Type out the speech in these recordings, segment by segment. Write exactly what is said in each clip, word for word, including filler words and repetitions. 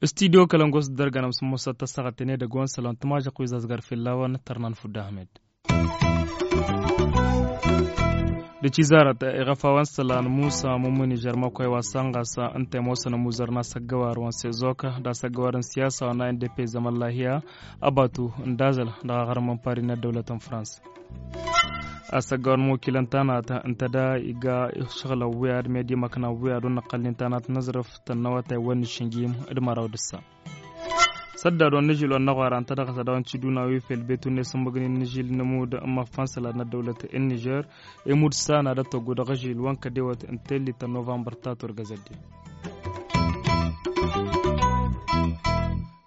Studio kălăngos dăr-gănăm s-mosăt tăssaɣăt tenedăgg wa n-sălon tămažăq wi zazgar fellawăn tărnan fudda ahmed. D-cizarăt iɣăfawăn sălan musa mumuni žărmăkoy wa sănɣasa ǝnta i-mosăn ămuzăr n-asăggăwar wa n-sezok d-asăggăwar n-siyasa wa n-a n d p zămăllahiya. Ăbatu n-dazăl dăɣ-aɣrǝm n-pari n-ăddăwlăt n-frans. Asăggăwar n-mukilăn tanat ǝnta da iga išɣǝlăn wi ad-medi măknan wi ad-wăn n-ăqqălnin tanat n-aẓrǝf tănnăwătay wa n-išǝnjim d-măraw d-ǝssa. Săddad wa n-ažil wa n-aɣwara ǝnta dăɣ-s ad-dăɣ-nǝci duna wi fel betu n-esǝmmăgnin n-ažil n-amud n-imăffan sălad n-ăddăwlăt n-nižer. Imud s-ana d-ăttăggu dăɣ-ažil wa n-kădewăt n-tellit n-novămbăr ta turgăzădde.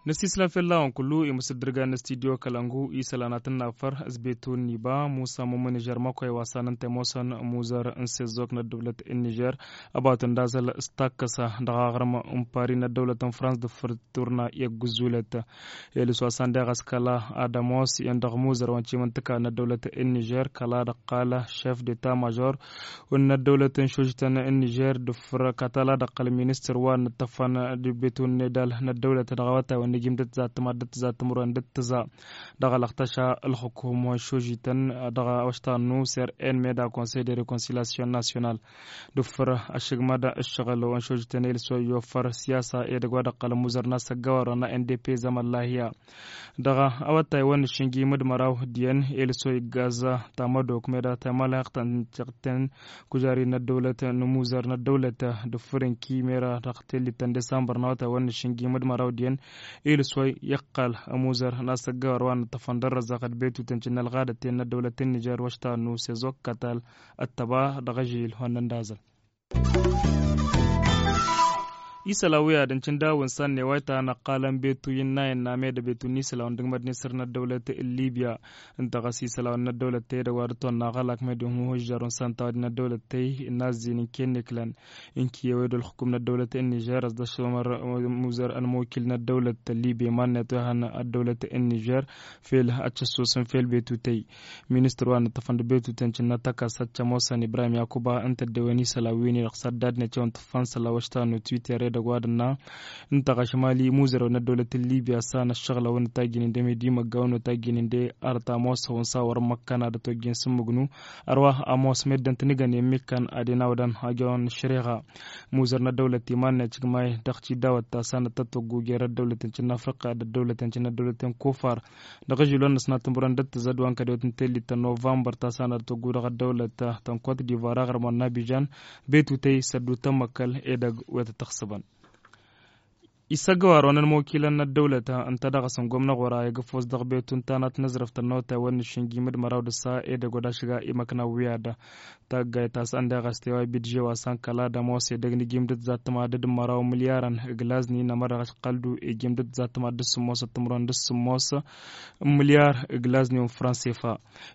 Năsislăm fell-a-wen kullu imǝsǝddǝrgan n-studio kălăngu isălan ad-tǝnnafăr s-betu n-iba musa mumǝn ižăr măkoy wa s-anăn temosăn muzăr n-sezok n-ăddăwlăt n-nižer. Ăbatun d-azăl s-takkăsa dăɣ-aɣrǝm n-pari n-ăddăwlăt n-frans d-făr turna i-ăgg-ǝzzulăt. Elǝs wa s-andeɣ a-s kăla ad-ămoos iyyăn dăɣ-muzăr wa n-cimǝntǝka n-ăddăwlăt n-nižer kăla dăɣ-qal šef d-eta-mažor n-ăddăwlăt n-šožităn n-nižer d-făr katala dăɣ-qal ministăr wa n-ǝṭṭăfăn d-betun n-edal n-ăddăwlăt dăɣ-awătay wa n-ijim d-ǝtzattăm ad-dd-tǝzattăm ru n-dd-tǝza dăɣ-alăɣtăša ălxukum wa n-šožităn dăɣ-awăštannu ser en meda konsey de rekonsilyasyon nasyonal. D-ǝffăr ăššăgmăd ǝššăɣǝl wa n-šožităn elǝs wa iyyofăr siyasa edăgg wa dăɣ-qal ămuzăr n-asăggăwar wa n-a n d p zămăllahiya. Dăɣ-awătay wa n-išǝnjim d-măraw d-iyyăn elǝs wa iggaz tamădok meda tamălăɣt n-tiɣten kužari n-ăddăwlăt n-amuzăr n-ăddăwlăt d-ǝffăr ǝnki mera dăɣ-tellit n-disămbăr n-awătay wa n-išǝnjim d-măraw d-iyyăn. Elǝs wa iqqăl amuzăr n-asăggăwar wa n-ǝṭṭăfăn d-ărrăzăɣ d-betutăn cǝnnălɣadăten n-ăddăwlăt n-nižer wa ăštanu sezok kătal ăttăba dăɣ-ažil wa n-ăndazăl. Isălan wi ad-ǝncǝn dawǝn săn n-e-wa itanăqqalăn betu innă innă med betu n-isălan dăgg-mădnesăr n-ăddăwlăt n-libya. Ǝnta ɣas isălan n-ăddăwlăt tedăgg wa d-tonna ɣălak med ihuhǝžžărun săn tawăd n-ăddăwlăt tey n-azzin n-kenneklăn. Ǝnki i-ewed ălxukum n-ăddăwlăt n-nižer ăsdăšămăr muzăr ălmukil n-ăddăwlăt n-libya iman-net wa ihăn ăddăwlăt n-nižer. Fel ad-t-ăssusǝn fel betu tey. Ministăr wa n-ǝṭṭăfăn d-betuten cǝnnăt ăkasăt cămoosăn ibrahim yakuba ǝnta ăddewăn isălan wi-ni-dăɣ s-ad-dd-net i-wăn tǝffăn sălan wa ăštanu twitter edăgg wa d-ǝnna. Ǝnta ɣaš mali muzărew n-ăddăwlăt n-libya s-anăššăɣlăwăn tajjǝnen d-emedi măggawăn tajjǝnen d-arăt ămoos hăwăn s-a wăr n-măkkăn ad-ătojjen s-ǝmmǝgnu. Ărwa ămoos meddǝn tǝnǝgăn i-ămmikkăn ad-inawdăn ajăwăn šăreɣa. Muzăr n-ăddăwlăt iman-net cǝgmay dăɣ-tidawăt ta s-anăt tătwăggu jer-ăddăwlăten cǝnnă afriqqa d-ăddăwlăten cǝnnă ăddăwlăten kufar. Dăɣ-ažil wa n-năsnat timǝrwen d-ăttăzăd wa n-kădewăt n-tellit ta n-novămbăr ta s-anăt tătwăggu dăɣ-ăddăwlăt ta n-kot divar aɣrǝm wa n-abižan. Betutăy s-ăddu tămmăkkăl edăgg wa tăt-ăxsăbăn. Isăggăwar wa n-ălmokilăn n-ăddăwlăt ǝnta dăɣ-s n-gomnăɣ wăra egăfos dăɣ-betu n-tanat n-aẓrǝft ănnăwătay wa n-nǝššǝnjim d-măraw d-ǝssa edăgg wa d-ašǝga i-măkna wi ad-ta ăggayt a-s ăndeɣ a-s tewa bidže wa s-ankăla d-ămoos edăgg n-ijim d-ǝtzattăm ad-dd-măraw n-milyarăn ǝglazni n-amădăɣ ăšqăldu ijim d-ǝtzattăm ad-dd-sǝmmos d-timǝrwen d-sǝmmos. N-milyar ǝglazni wa n-fransefa.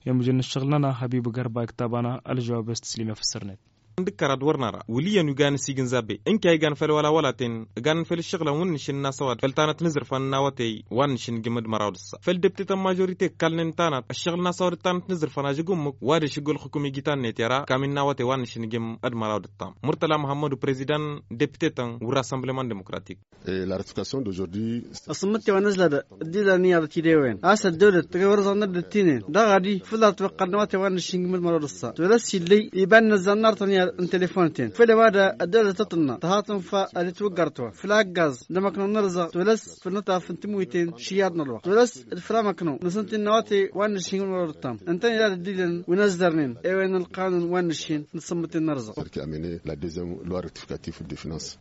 I-mǝjǝn n-ǝššăɣǝl-nănăɣ hăbib gărba iktabana ălžăwab i-s tǝslim i-afǝssărnet. N-dăkkăr ad-wăr năra wǝl' iyyăn wi ganăn s-igǝnza be ǝnka iganăn făll-wăla wălaten ǝganăn făll-ǝššăɣǝlăn wǝnnǝšǝn n-asăwad făll-tanăt n-azǝrfan n-awătey wa n-nǝšǝn gǝmǝd măraw d-ǝssa făll-deptetăn mažorite ǝkkalnen tanăt ǝššăɣǝl n-asăwad d-tanăt n-azǝrfan ažăg ummǝk wa d-ešǝgg ălxǝkum ijitannetera kamin n-awătey wa n-nǝšǝn gǝmǝd măraw d-ǝttam murtăla muhammădu prezidan deptetăn wăr-assemblement demokratik. Asǝmmǝtte wa n-ǝzlădă dd-ilan iyyăḍ tidewen a-s ăddăwlăt tăgg-ewăr ăẓɣănnăt d-ăttinen daɣ ad-ifǝḍăr tiwăqqad n-awătay wa n-nǝššǝngǝm d-măraw d-ǝssa tolăs illăy iba n-inăzzan n-artăn i-ad-n telefon-ten făll-e-wa d-ăddăwlăt tăṭṭǝnna tăhatăn fa ad-itwǝggăr tiwa făll-aggaz d-amăknăw n-arǝzăɣ tolăs făll-nǝṭṭaf n-tǝmwiten šǝyyaḍ n-ălwăqq tolăs d-făll-amăknăw n-asǝntin n-awătay wa n-nǝššǝngǝm d-măraw d-ǝttam ǝntăn ila d-ăddilăn wi n-ăzzărnen ewăyăn ălqanun wa n-nǝššin n-asǝmmǝten n-arǝzăɣ.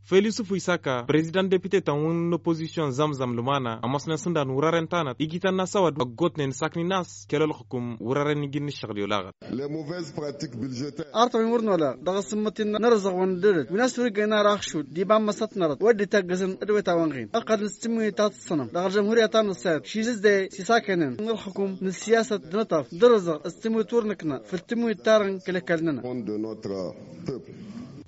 Făl-yusǝfu isaka prezidan depite-tăn wi n-opozisyon zăm-zăm lǝmana ămoosnen s-ǝndan wăr-ărăn tanăt ijităn n-asăwăd ăggootnen s-aknin a-s kăl-ălxǝkum wăr-ărăn iji n-ǝššăɣǝl i-olaɣăt. Artăwăn wăr nola dăɣ-asǝmmăt-in n-arǝzăɣ wa n-ăddăwlăt wi n-a-s wăr-ijjăyăn ara axšud d-iba n-măsăt n-arăt wăr dd-itaggăzăn d-wăyt a-wa n-ɣin ăqqădăn s-tǝmmǝyǝt ta tǝssănăm dăɣ-ălžămhurya ta n-ăssayăt šizǝzde s-isakăynen n-ălxǝkum n-ǝssiyasăt d-inǝṭṭaf d-arǝzăɣ s-tǝmmǝyǝt wăr nǝkna făll-tǝmmǝyǝt ta dăr-n kăl-ăkall-nănăɣ.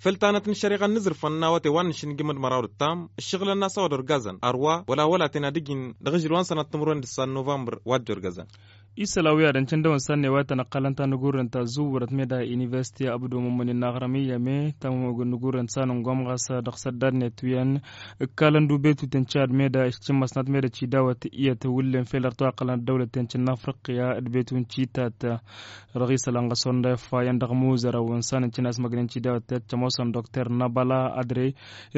făll-tanăt n-ăššăreɣa n-inǝzrǝfăn n-awătay wa n-nǝšǝnjǝmǝd măraw d-ǝttam ǝššăɣǝlăn n-asăwăd orgazăn ărwa wăla wăla tena d-ǝjǝn dăɣ-ažǝl wa n-sănăt timǝrwen d-ǝssan novămbăr wa dd-orgăzăn. Isălan wi ad-ǝncǝndăwăn săn i-wa tăn-ăqqalăn ta n-agurren ta zǝwwărăt meda iniversite abdu mămmănen n-aɣrăm iyyăme ta n-agurren săn n-gom ɣas dăɣ-săddadnet wi ănn ǝkkalăn d-ubetuten cad meda išcǝmmăsnăt meda cidawăt iyyăt wǝllen fel ărtăwaqălăn ăddăwlăten cǝnna afriqya d-betun citat. Dăɣ-isălan ɣas wăr n-da ifa iyyăn dăɣ-muzărăwăn săn ǝncǝn asmăgnen cidawăt tiyyăt cămoosăn dokter năbăla adre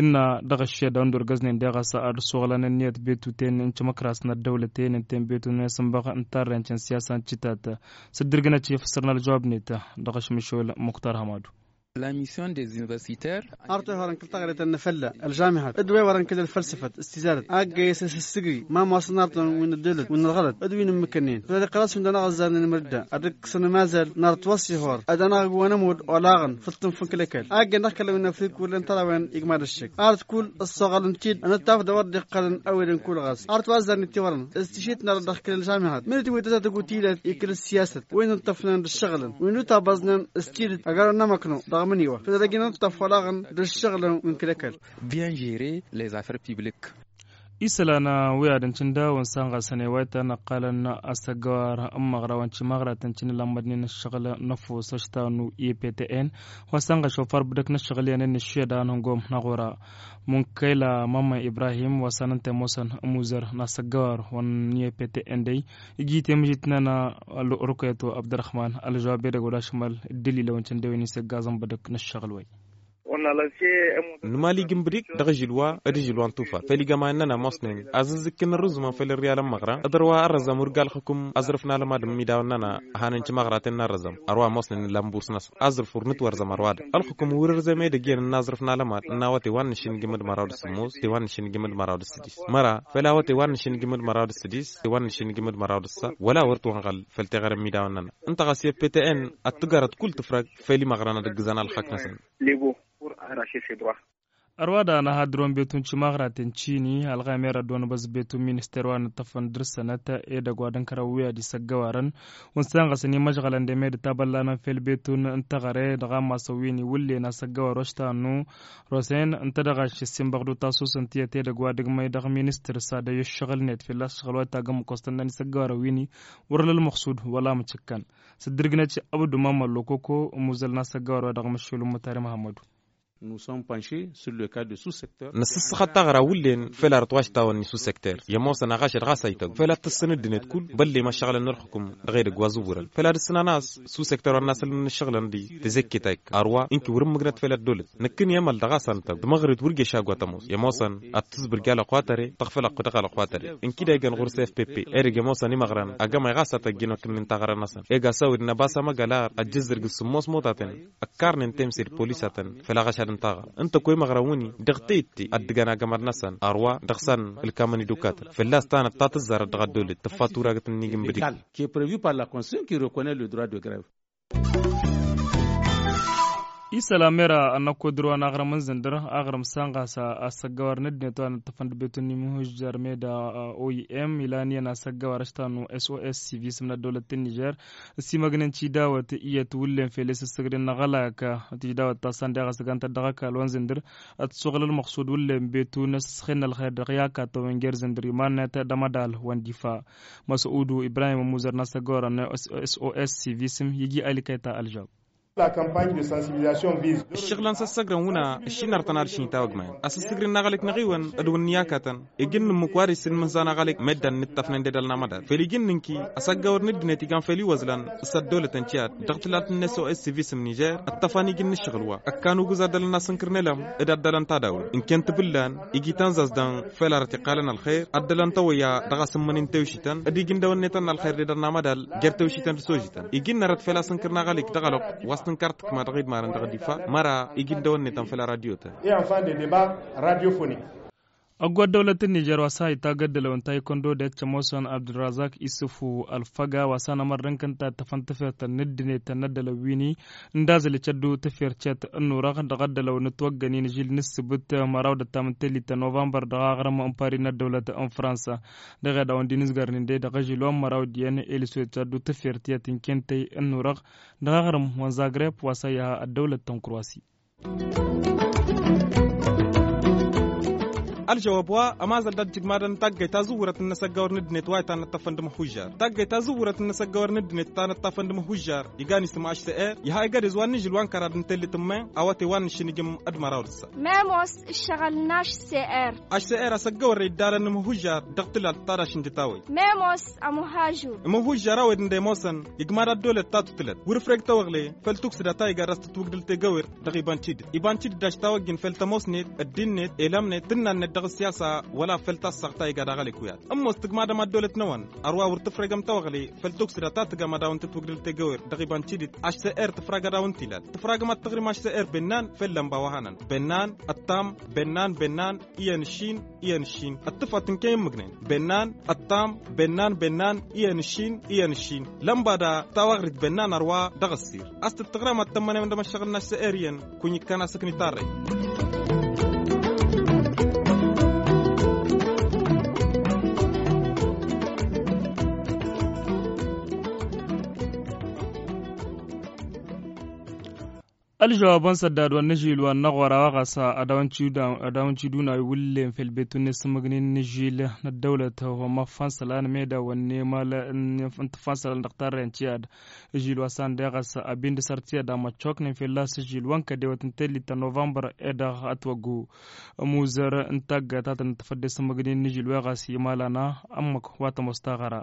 innă dăɣ-ăššed a wăn d-orgăznen deɣ a-s ad-suɣǝlăn ǝnniyăt betuten n-timǝkras n-ăddăwlăten ǝnta i-n betun n-esǝnbăɣ n-tarrăyăn cǝnsiyasa n-cǝtat. S-dd-irgǝnăt i-fǝssărăn ălžăwab-net dăɣ-ašmǝšol muktar hămadu. Arăt wa i-wărăn kǝl taɣăre tănnăfălla ălžamihat d-wa i-wărăn kǝl ălfălsăfăt s-tizarăt aggăyăs s-ǝssǝgri ma ămoosăn arătăn wi n-ăddolăt wi n-ălɣălăt d-wi n-ǝmmǝkănnen făll-ad-iqqăl a-s wi n-dăɣ-năɣ ăzzarnen imǝrda ad-ǝkkǝsăn amazăl n-arăt wa s-ihor ad-anăɣ-ăgg wa n-ămudd olaɣăn făll-tǝnf n-kăl-ăkall aggăyăn dăɣ-kăl-a-wi n-afrik wăr len tărawen igmad ăššăk arăt kull ăssoɣălăn-t-dd ănăttaf d-a wăr dd-iqqălăn a-wen kull ɣas arăt wa ăzzarnen tiwărăn s-tišit n-arăt dăɣ-kăl-ălžamihat mănăt-i wi tăzat ăgutǝy ilat ikǝl ăssiyasăt wi n-ǝnṭṭăfnen d-ǝššăɣǝlăn wi n-utabaẓnen s-tidǝt ăgg-arăw n-amăkno dăɣ-imǝniwa făl ad-ăj n-ǝnṭṭăf olaɣăn d-ǝššăɣǝlăn wi n-kăl-ăkall. Bien gérer les affaires publiques. Isălan wi ad-ǝncǝndawăn s-anɣasăn i-wa ităn ăqqalăn asăggăwar n-imăɣra wa n-timăɣratăn cǝnnǝlammădnen ǝššăɣǝl n-ăfuss ăštanu i-ptn wa s-anɣa šofar bǝdăk n-ǝššăɣǝl i-anăn n-ǝššeda n-hǝngom n-aɣora. Munkăyla mămmăn ibrahim wa s-anăn temusăn ămuzăr n-asăggăwar wa n-i-ptn dăy iji temǝžit n-ana rukăyăt wa abdărăhman ălžăwab edăgg wa d-ašmăl d-dălilăwăn cǝndewen isăggaẓăn bǝdăk n-ǝššăɣǝl-way. Nǝmal ijǝmbǝd-ik dăɣ-ažǝl wa d-ažǝl wa n-tufat făll-igămayăn-nănăɣ ămoosnen azǝzzǝkkǝn ărrǝzumăn făll-ărriyal n-imăɣra d-ărwa ărrăzăm wăr ga ălxǝkǝm aẓrǝf n-alămad n-imidawăn-nănăɣ. Ăhanăn timăɣraten n-arrăzăm ărwa ămoosnen n-lamburs-năsăn aẓrǝf wăr nǝtwărzăm ărwa-dăɣ ălxǝkǝm wăr ărzăm edăgg iyyăn n-aẓrǝf n-alămad n-awăte wa n-nǝšǝnǝjǝm d-măraw d-sǝmmos te wa n-nǝšǝnǝjǝm d-măraw d-sǝdis măra făll-awăte wa n-nǝšǝnǝjǝm d-măraw d-sǝdis te wa n-nǝšǝnǝjǝm d-măraw d-ǝssa wăla wăr t-wănɣăl făll-teɣăre n-imidawăn-nănăɣ. Ǝnta ɣas i-ptn ad-tǝgărăt kull tǝfrăg făll-imăɣra n-ad-ǝggǝzăn alxăk-năsăn. Ărwa da anăhadrăwăn betun timăɣraten cini ălɣamer ad-dd-onăbăẓ betun minister wa n-ǝṭṭăfăn dăr-sănăt edăgg wa d-ǝnkărăn wi ad-isăggăwarăn wa n-sănɣăsăn imăžɣălăn d-emed tabăllanăn fel betun n-teɣăre dăɣ-amasăn wi n-iwǝllen asăggăwar oštanu. Rosen ǝnta dăɣ-ašăs inbăɣ d-utasus n-tiyyăt edăgg wa d-ǝgmăy dăɣ-ministăr s-ad-ăyy ǝššăɣǝl-net fell-a s-šăɣǝl wa itagg ǝmmǝk wa s-tănnăn isăggăwarăn wi-ni wăr ălălmăxsud wăla mǝcǝkkan. S-dd-irgǝnăt abdu mamăllo koko ămuzăl n-asăggăwar wa dăɣ-măššul ǝmmǝtari măhămmădu. Nǝssǝsxăt taɣra wǝllen fel arăt wa š-tawănni s-usekter i-ămoosăn aɣašăt ɣas a ităgg fel ad-tǝssǝn ăddinăt kull bălle ma šăɣlăn n-ălxukǝm. Dăɣ-edăgg wa zǝwwărăn fel ad-ǝssǝnăn a-s s-usekter wa n-asăl n-ǝššăɣǝlăn d-tezǝkkit a ikka ărwa ǝnki wăr-ǝmmǝgnăt fel ăddolăt. Năkkǝn i-emăl dăɣ-a-s a nǝtăgg d-măɣrǝt wăr ješa agg wa tămoos i-ămoosăn ad-tǝzbǝrj alăqwatăre tăɣfălăɣ dăɣ-alăqwatăre. Ǝnki-dd a igan ɣur-s fpp edăgg i-ămoosăn imăɣran agămay ɣas a tăjjin wa kǝnnin taɣărăn-năsăn eg asăwăd n-ăbas amăgălar ăjjǝzzărg d-sǝmmos motatăn ăkkarnen temse d-polisatăn. Făll-aɣăšad n-taɣăr ǝnta ăkk wa imăɣran wǝnni dăɣ-teyǝtte ad-dd-ǝgăn agămăr-năsăn ărwa dăɣ-săn ǝlkamăn idukatăn fălla-s tanăt ta tǝzzarăt dăɣ-ăddolăt tǝffa turagăt n-inǝjǝmbǝd-ik. Isălan mera ănnăkko dăr-wa n-aɣrǝm n-zǝndăr aɣrǝm s-anɣas asăggăwar n-ăddinăt wa n-ǝṭṭăfăn d-betun n-imhǝžžăr meda oim ilan iyyăn asăggăwar ăštanu s o s sivism n-ăddăwlăt n-nižer ăsimăgnen tidawăt iyyăt wǝllen fel i-sǝssǝgdǝn n-aɣălak. Tidawăt ta s-ăndeɣ ăsgantăt dăɣ-ăkall wa n-zǝndăr ătsuɣǝl ălmăqsud wǝllen betun ăsǝsxen n-ălxer dăɣ-i akatăwăn n-jer-zǝndăr iman-net d-amădal wa n-difa. Măsăudu ibrahim ămuzăr n-asăggăwar n-s o s sivism iji alikăy ta ălžăwab. Ǝššăɣǝl-năsăn ăssăgrăn wǝnna ăššinăr tăn-ad-ǝššin tawăgmayăn asǝssǝgrǝn n-aɣălăk-năɣ-iwăn d-wǝnniyakătăn. Iji n-nǝmmǝk wa dăɣ-isǝnnǝmǝnza n-aɣălăk măddan n-ǝṭṭăfnen d-edăl n-amădal făl iji n-nǝnki ăsăggăwăr n-ăddinăt igan făll-iwăzlan s-ăddolătăn tiyyăt dăɣ-tǝlalt n-s o s sivism nižer ǝṭṭăfăn iji n-ǝššăɣǝl wa ăkkan ugǝz ad-dălăn asǝnkăr n-elăm d-ad-dălăn tadawla ǝnken tǝbǝllan iji tanzazdan făll-arăt iqqalăn ălxer ad-dălăn tawăyya dăɣ-asǝmmănen tewšităn d-iji n-dăwănnetăn n-ălxer d-edăl n-amădal jer-tewšităn d-sojităn. Iji n-arăt făll-asǝnkăr n-aɣălăk dăɣ-alăɣ wa s-tǝnkar tǝkma dăɣ-idmarăn dăɣ-difa măra iji n-dăwănnetăn făll-aradiyotăn. Ăgg wa ăddăwlăt n-nižer wa s-ha itagg ăddălăw n-taykondo d-ettămosăn abdurrazak isǝfu ălfăga wa s-anămărrăn kăn-tattăfăn tafert n-ăddinăt n-ăddălăw wi-ni n-dazăl icăddu tafert cet ănnurăɣ dăɣ-ăddălăw n-ătwăggănin žil n-ǝssǝbǝt măraw d-ăttam n-tellit ta novămbăr dăɣ-aɣrǝm n-pari n-ăddăwlăt n-fransa. Dăɣ-ed a-wen dd-inǝzgărnen de dăɣ-ažil wa n-măraw d-iyyăn eliswet icăddu tafert tiyyăt n-kentăy ănnurăɣ dăɣ-aɣrǝm wa n-zagreb wa s-ăyy ha ăddăwlăt ta n-kurwasi. Ălžăwab wa ămazăl dat-dd igmadăn taggăyt tazǝwwurăt n-inăsăggăwăr n-ăddinăt wa itanăt-tăfăn d-imǝhhujjar. Taggăyt tazǝwwurăt n-inăsăggăwăr n-ăddinăt itanăt-tăfăn d-imǝhhujjar igan isǝm ašsăr. Iha egădez wa n-ižǝl wa n-kăraḍ n-tellit n-men awăte wa n-išǝnǝjǝm d-măraw d-ǝssa. Memos ǝššăɣǝl n-ašsăr. Ašsăr asăggăwăr iddalăn n-imǝhhujjar dăɣ-tǝlalt ta daš-injǝtawăy. Memos ămuhajur. Imǝhhujjar a-wen dd-emosăn igmad ăddolăt ta tutǝlăt wăr-ǝfreg tawăɣle făll-tuksǝda ta iga d-ass tǝtwǝgdǝl tegăwer. Dăɣ-ibancid ibancid daš tawăggin făll-tămosnet ăddinnet elămnet tǝnnannet dăɣ-ăssiyasa wăla făll-tassaɣt ta iga d-aɣălek wi ad-ămmoos tǝgmadăm ăddolăt-năwăn. Ărwa wăr tǝfregăm tawăɣle făll-tuksǝda ta tǝgăm ad-awăn-tǝtwǝgdǝl tegăwer dăɣ-ibancid ašsăr tǝfrag ad-awăn-t-ilal tǝfragăm ad-tăɣrim ašsăr bennan făll-lănba wa hanăn bennan ăttam bennan bennan iyyăn ǝššin iyyăn ǝššin. Ăṭṭǝfăt ǝnken immǝgnen bennan ăṭṭam bennan bennan iyyăn ǝššin iyyăn ǝššin. Lănba da tawaɣrit bennan ărwa dăɣ-ăssir a-s tǝttăɣrăm ad-tămmănăyăm d-emăššăɣǝl n-ašsăr iyyăn. Kunyi-kăn asǝkni tarrăy. Ălžăwabăn săddad wa n-ažil wa n-aɣora wa ɣas ad-awăn-t-iduna iwǝllen fel betu n-esǝmmǝgnin n-ažil n-ăddăwlăt wa n-maffansălan meda wa n-emal n-tǝffansălan dăɣ-tarrăyăn tiyyad. Ažil wa s-ande ɣas abin d-săr tiyyad a măccoknen fel las ažil wa n-kădewăt n-tellit ta novămbăr ed ătwăggu. Ămuzăr n-taggatatăn n-tafădde esǝmmǝgnin n-ažil wa ɣas imalana ămmăk wa tămoos taɣăra.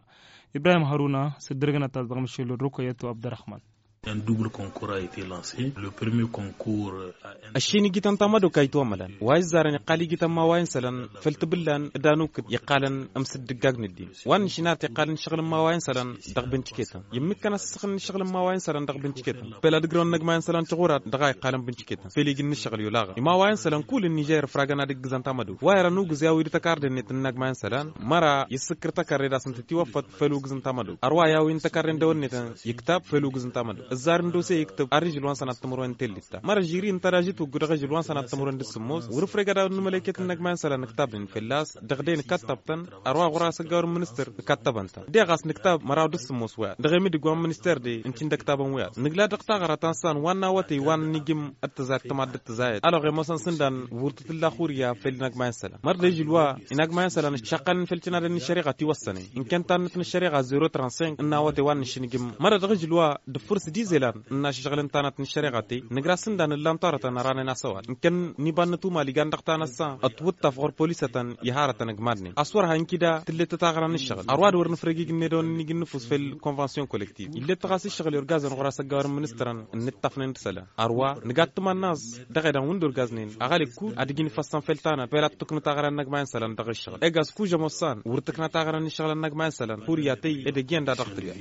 Ibrahim hăruna s-dd-ărgănăt-as dăɣ-măšil n-rukăyăt wa abdărăhman. Un double concours a été lancé. Le premier concours a ăššin igităn tamădok a itwamălăn wa izzarăn iqqal igităn imawayen isălan făll-tibǝllan d-anukǝt iqqalăn ămsǝddǝggag n-ăddin. Wa n-ăššin ad-t-iqqalăn ǝššăɣǝl imawayen isălan dăɣ-bǝncǝketăn. Immǝkkăn asǝssăɣ n-ǝššăɣǝl imawayen isălan dăɣ-bǝncǝketăn făll-ad-ǝgrăwăn n-agmayen isălan tiɣurat dăɣ-a iqqalăn bǝncǝketăn făll-iji n-ǝššăɣǝl i-olaɣăn imawayen isălan kull n-nižer ǝfragăn ad-ǝggǝzăn tamădok wa irăn ugǝz i-a-wi d-tăkarde-net n-inagmayen isălan. Măra i-ǝssǝkkăr tăkarre d-asǝntăt iwăffăt făll-ugǝz n-tamădok ărwa i-a-wi n-tăkarre n-dăwănnet iktab făll-ugǝz n-tamădok ǝzzar n-dose iktǝb arrijǝl wa n-sănat timǝrwen n-tellit-ta măra žiri ǝnta dažit wăggu dăɣ-ažǝl wa n-sănat timǝrwen d-sǝmmos wăr-ǝfreg ad-awăn n-mălăyket n-inagmayen isălan ǝktabnen fălla-s dăɣ-de nǝkattab-tăn. Ărwa ɣur-asăggawăr n-ministăr ǝkattab-ăntăn deɣ a-s nǝktab măraw d-sǝmmos wi ad-dăɣ-emidǝg wa n-ministăr de ǝnta-in d-ăktabăn wi ad-nǝgla dăɣ-taɣăra ta n-san wa n-awătăy wa n-inǝjǝm d-tǝzayăt tămaddǝt tǝzayăt alăɣ emoosăn s-ǝndan wăr tǝtǝlla xurǝya făll-inagmayen isălan măra d-ažǝl wa inagmayen isălan šăqqălăn făll-tinadăn n-ăššăriɣa tiwăssănen ǝnkăn tannăt n-ăššăriɣa zero trănsinq n-awătăy wa n-išǝnǝjǝm măra dăɣ-ažǝl wa d-ǝffǝr s-dizelan n-ašǝžɣǝl n-tanăt n-ăššăriɣa-tăy nǝgra s-ǝndan ǝllan torătăn ărranen asăwad ǝnkăn n-iba n-inătumali gan dăɣ-tanăssa ătwǝṭṭaf ɣur-polisătăn iharătăn ǝgmadnen a-s wăr ha inkǝda tǝllet taɣăra n-ǝššăɣǝl ărwad wăr nǝfreg ijǝnnedăwăn n-ijǝnnǝfus făll-konvănsyon kolektiv illet ɣas ǝššăɣǝl i-urgazăn ɣur-asăggawăr n-ministărăn n-ǝṭṭafnen d-isălan. Ărwa nǝga d-tǝmănnaẓ dăɣ-edăn wǝnda urgaznen aɣălek kull ad-ǝjǝn ifassăn făll-tanăt făll-ad-tǝknu taɣăra n-inăgmayen isălan dăɣ-ǝššăɣǝl egas kužăm ossan wăr tǝkna taɣăra n-iššăɣǝl n-inăgmayen isălan. Furiya tăy ed ăjjeen da dăɣ-tǝgga.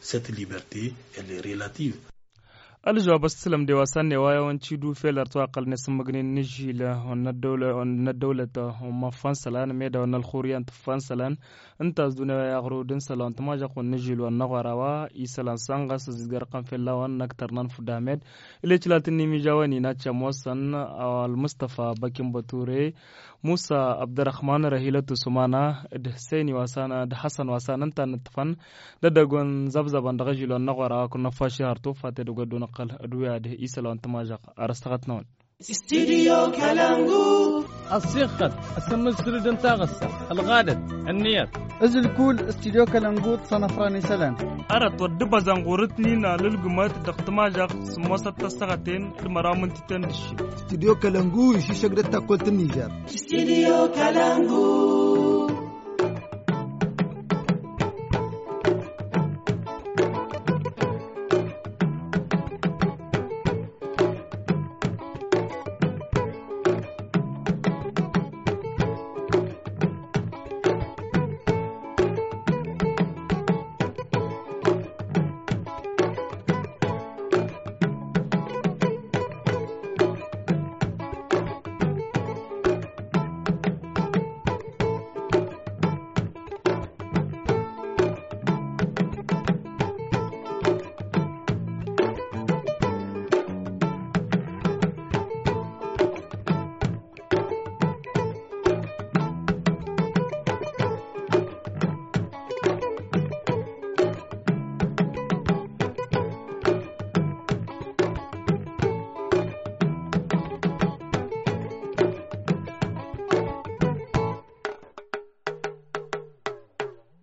Cette liberté, elle est relative. Ălžăwab ăssǝlăm de wa s-anne wa i-awăn-t-idu fel ărtwaqqăl n-esǝmmǝgnen n-ažil wa n-ăddăwlăt wa n-maffansălan meda wa n-ălxuryan tǝffansălan. Ǝnta a-s dunya wa i-aɣrud n-isălan tǝmažăɣt wa n-ažil wa n-aɣora wa isălan s-anɣas ăzizgărăɣ-tăn fell-a-wen n-ăktăr n-anfud ahmed. Ila iclaltăn n-imižawăn-in ad-t-ămoosăn ălmustăfa băkin băture musa abdărăhman rahilăt usumana d-husăyni wa s-an d-hasăn wa s-an ǝnta a nǝṭṭǝfăn d-edăgg wa n-zăbzăbăn dăɣ-ažil wa n-aɣora wa kăl-năffaši har tufa tedăgg wa dd-unăqqăl d-wi ad-isălan tǝmažăɣt. Ar ăstăɣăt-năwăn. Studio kalangu. Ăṣṣixăt ăsǝmmǝd sǝrǝd n-taɣǝssa ălɣadăt ănniyăt. Ǝzǝl kull studio kalangu d-sănăfran isălan. Arăt wăr dd-băzăn ɣur-ǝtnin alǝlgǝmăt dăɣ-tǝmažăɣt sǝmmosăt tăssăɣăten d-măraw mǝntǝten d-ǝššin. Studio kalangu išǝššăk d-ăttakkol tǝnnižer. Studio kalangu.